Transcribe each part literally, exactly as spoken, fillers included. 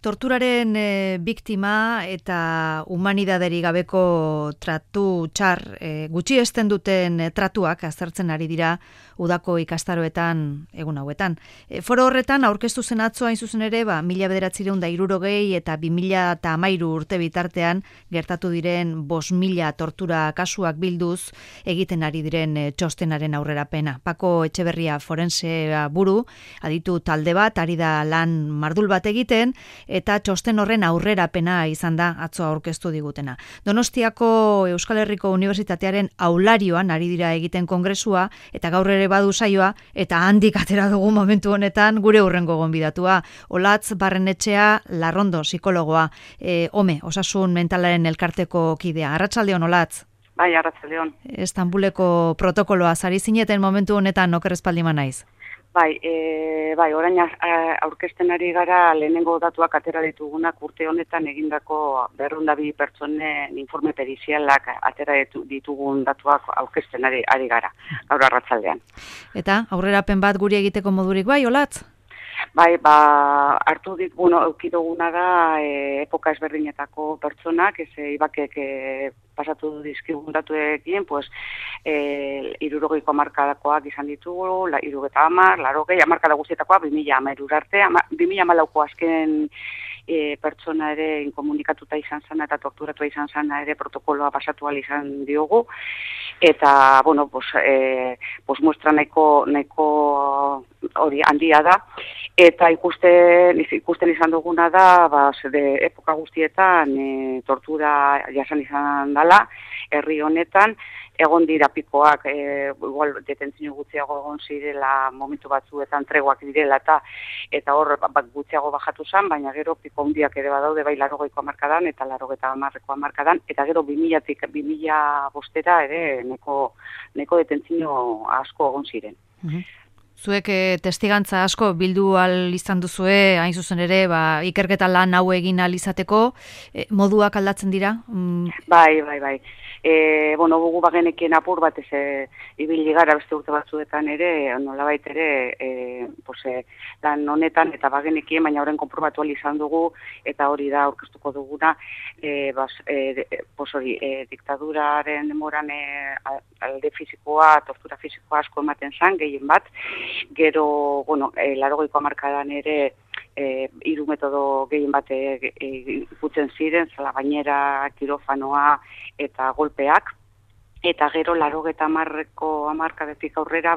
Torturaren e, biktima eta humanidaderi gabeko tratu txar e, gutxi esten duten e, tratuak aztertzen ari dira udako ikastaroetan egun hauetan. E, foro horretan aurkeztu zen atzo hain zuzen ere, ba, mila bederatziehun eta hirurogei eta bi mila hamairu urte bitartean gertatu diren bost mila tortura kasuak bilduz egiten ari diren e, txostenaren aurrerapena. Pako Etxeberria forensea buru, aditu talde bat, ari da lan mardul bat egiten, eta txosten horren aurrerapena izan da atzo aurkeztu digutena. Donostiako Euskal Herriko Unibertsitatearen aularioan ari dira egiten kongresua, eta gaur ere badu saioa, eta handik atera dugu momentu honetan gure hurrengo gonbidatua. Olatz Barrenetxea Larrondo, psikologoa, e, ome, osasun mentalaren elkarteko kidea. Arratsaldeon, Olatz. Bai, arratsaldeon. Estambuleko protokoloa sari zineten momentu honetan okerrezpaldima naiz. Bai, e, bai, orain aurkezten ari gara lehenengo datuak atera ditugunak urte honetan egindako berrehun eta bi pertsonen informe perizialak atera ditugun datuak aurkezten ari, ari gara, gaur arratsaldean. Eta aurrerapen bat guri egiteko modurik bai, Olatz? Bai, ba, hartu dit, bueno, eukiduguna da e, epoka ezberdinetako pertsonak, ez ibakek e, pasatu dizkigun datuekin, pues, e, irurogeiko hamarkadakoak izan ditugu, la, irurogeta hamar, larogei, hamarkada guztietakoa, bi mila hamairu arte, bi mila hamalauko azken e, pertsona ere inkomunikatuta izan zana eta torturatua izan zana ere protokoloa pasatu ahal izan diogu, eta, bueno, pues, e, pues muestra nahiko, nahiko hori handia da, eta ikusten, ikusten izan duguna da, ba, de epoka guztietan e, tortura jasan izan dela, herri honetan, egon dira pikoak, e, igual detentzio gutxiago egon zirela momentu batzuetan treguak direla eta eta hor bat gutxiago bajatu zen, baina gero piko handiak ere badaude bai larogeiko hamarkadan eta larogeta hamarreko hamarkadan, eta gero bi milatik bi mila bostera ere neko, neko detentzio asko egon ziren. Uh-huh. Zuek e, testigantza asko bildu al izan duzue, hain zuzen ere, ba, ikerketa lan hau egin al izateko, e, moduak aldatzen dira? Mm. Bai, bai, bai. E, bueno, bugu bagenekien apur bat ez e, ibili gara beste urte batzuetan ere, nolabait ere, e, pues, e, lan honetan eta bagenekien, baina horren konprobatu al izan dugu, eta hori da aurkeztuko duguna, e, bas, e, pues, hori, e, diktaduraren demoran e, alde fizikoa, tortura fizikoa asko ematen zan, gehien bat, gero, bueno, e, larogeiko hamarkadan ere e, hiru metodo gehien bat ikutzen ziren, zala gainera, kirofanoa eta golpeak, eta gero larogeta hamarreko hamarkadetik aurrera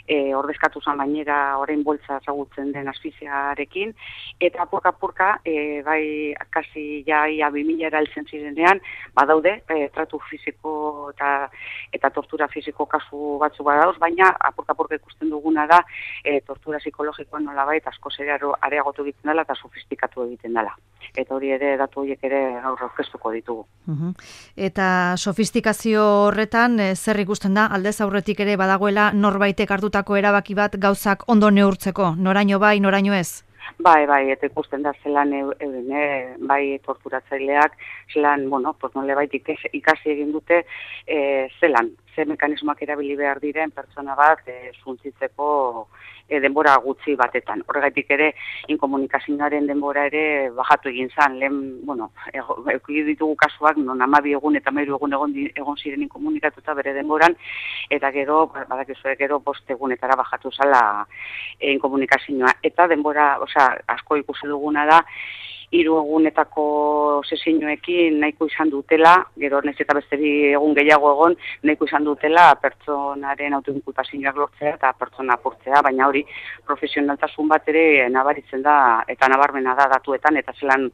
e, ordezkatu zen gainera orain boltza ezagutzen den asfixiarekin, eta apurka-apurka, e, bai, kasi ja ia bi mila heltzen zirenean, badaude, e, tratu fisiko eta, eta tortura fisiko kasu batzu badauz, baina apurka-apurka ikusten duguna da, e, tortura psikologikoa nolabait asko zeraro areagotu egiten dela eta sofistikatu egiten dela. Eta hori ere, datu horiek ere gaur aurkeztuko ditugu. Uh-huh. Eta sofistikazio horretan, e, zer ikusten da, aldez aurretik ere badagoela norbaitek hartutako erabaki bat gauzak ondo neurtzeko, noraino bai, noraino ez? Bai, bai, eta ikusten da zelan euren, e, bai torturatzaileak, zelan, bueno, pues nole bait ikasi egin dute, e, zelan, ze mekanismoak erabili behar diren pertsona bat e, zuntzitzeko e, denbora gutxi batetan. Horregatik ere, inkomunikazioaren denbora ere bajatu egin zan, lehen, bueno, euki ditugu kasuak, non hamabi egun eta hamairu egun egon, egon ziren inkomunikatuta bere denboran, eta gero, badakizue gero, bost egunetara bajatu zala e, inkomunikazioa. Eta denbora, osea, asko ikusi duguna da, hiru egunetako sesiñoekin nahiko izan dutela, gero nez eta beste bi egun gehiago egon, nahiko izan dutela pertsonaren autoinkulpazioak lortzea eta pertsona apurtzea, baina hori profesionaltasun bat ere nabaritzen da, eta nabarmena da datuetan, eta zelan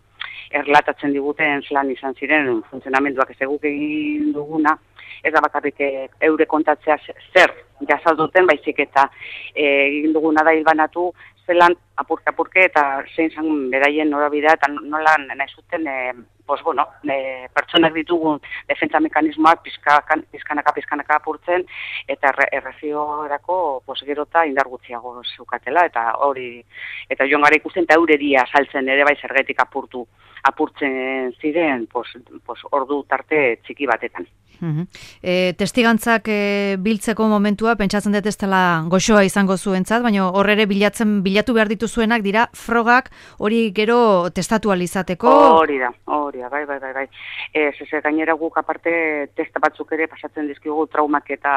erlatatzen diguten zelan izan ziren funtzionamenduak ez eguk egin duguna, ez da bakarrik eure kontatzea zer jasalduten, baizik eta egin duguna da hilbanatu, zelan apurke-apurke eta zein zan beraien norabidea eta nola nahi zuten e, pues, bueno, e, pertsonak ditugun defentsa mekanismoak pizkakan, pizkanaka pizkanaka apurtzen, eta erreziorako pues, gerota indar gutxiago zeukatela, eta hori, eta joan gara ikusten, eta eureria saltzen ere bai zergetik apurtu, apurtzen ziren, pues, pues, ordu tarte txiki batetan. Uhum. E, testigantzak e, biltzeko momentua, pentsatzen dut ez dela goxoa izango zuentzat, baina horre ere bilatzen, bilatu behar dituzuenak dira frogak hori gero testatu alizateko. Hori da, hori da, bai, bai, bai, bai. Ez, ez, gainera guk aparte testa batzuk ere pasatzen dizkigu traumak eta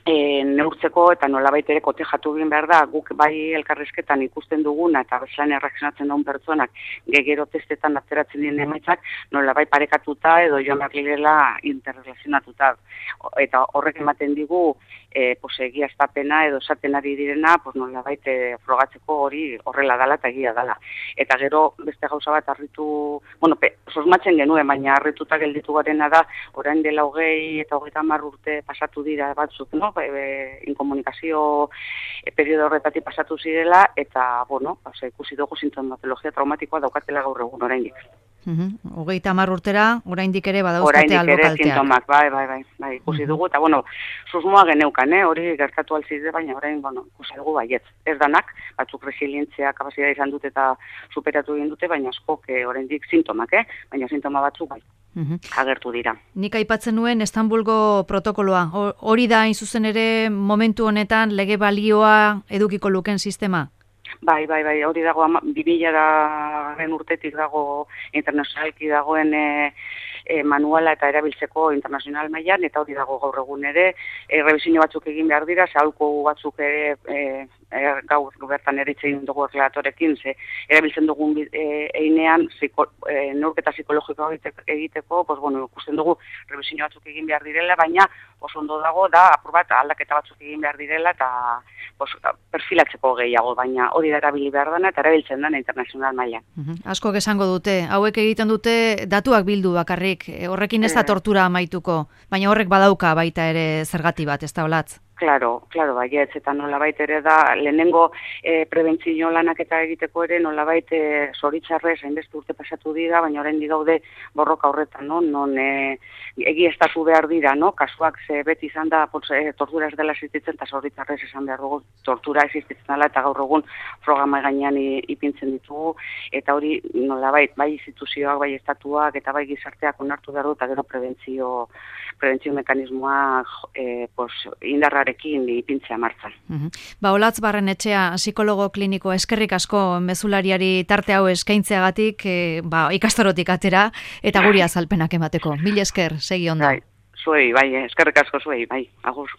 E, neurtzeko eta nolabait ere kotejatu egin behar da, guk bai elkarrizketan ikusten duguna eta bezlan erreakzionatzen duen pertsonak gegero testetan atzeratzen dien emaitzak nolabait parekatuta edo joan behar direla interrelazionatuta. Eta horrek ematen digu e, pues, egia estapena edo esaten ari direna pues, nolabait e, frogatzeko hori horrela dala eta egia dala. Eta gero beste gauza bat harritu, bueno, pe, sosmatzen genuen, baina harrituta gelditu garena da, orain dela hogei eta hogeita hamar urte pasatu dira batzuk, no? E, inkomunikazio e, periodo horretatik pasatu zirela eta, bueno, ose, ikusi dugu sintomatologia traumatikoa daukatela gaur egun oraindik. Hogeita hamar urtera, oraindik ere badauzkate albo kalteak. Oraindik ere sintomak, bai, bai, bai, bai, ikusi uh-huh. dugu, eta, bueno, susmoa geneukan, eh? Hori gertatu alzide, baina orain, bueno, ikusi dugu baietz. Ez danak, batzuk resilientzia kapazitatea izan dute eta superatu egin dute, baina askok eh, oraindik sintomak, eh? Baina sintoma batzuk bai. Uhum. Agertu dira. Nik aipatzen nuen Istanbulgo protokoloa. Hori da, hain zuzen ere, momentu honetan lege balioa edukiko luken sistema? Bai, bai, bai, hori dago, bi milaren urtetik dago internazionalki dagoen e, e, manuala eta erabiltzeko internazional mailan eta hori dago gaur egun ere, e, revisio batzuk egin behar dira, zahalko batzuk ere e, e, gaur bertan eritzein dugu errelatorekin, ze erabiltzen dugun e, einean ziko, e, neurketa psikologikoa egiteko, pues, bueno, ikusten dugu revisio batzuk egin behar direla, baina oso ondo dago da apur bat aldaketa batzuk egin behar direla eta pues, perfilatzeko gehiago, baina hori da erabili behar dana eta erabiltzen dana internazional mailan. Uh-huh. Asko esango dute, hauek egiten dute datuak bildu bakarrik, horrekin ez da tortura amaituko, baina horrek badauka baita ere zergati bat, ez da olatz? Claro, claro, baietz, eta nolabait ere da, lehenengo e, prebentzio lanak eta egiteko ere nolabait e, zoritxarrez, hainbeste urte pasatu dira, baina orain digaude borroka horretan, no? Non e, egiaztatu behar dira, no? Kasuak ze beti izan da, pues, e, tortura ez dela existitzen, eta zoritxarrez esan behar dugu, tortura existitzen dela, eta gaur egun programa gainean ipintzen ditugu, eta hori nolabait, bai instituzioak, bai estatuak, eta bai gizarteak onartu behar du, eta gero prebentzio, prebentzio mekanismoa e, pues, indarra rekin ipintzea martzan. Uh-huh. Ba, Olatz Barrenetxea, psikologo kliniko, eskerrik asko mezulariari tarte hau eskaintzeagatik, e, ba, ikastarotik atera, eta guri azalpenak emateko. Mil esker, segi ondo. Bai, zuei, bai, eskerrik asko zuei, bai, agur.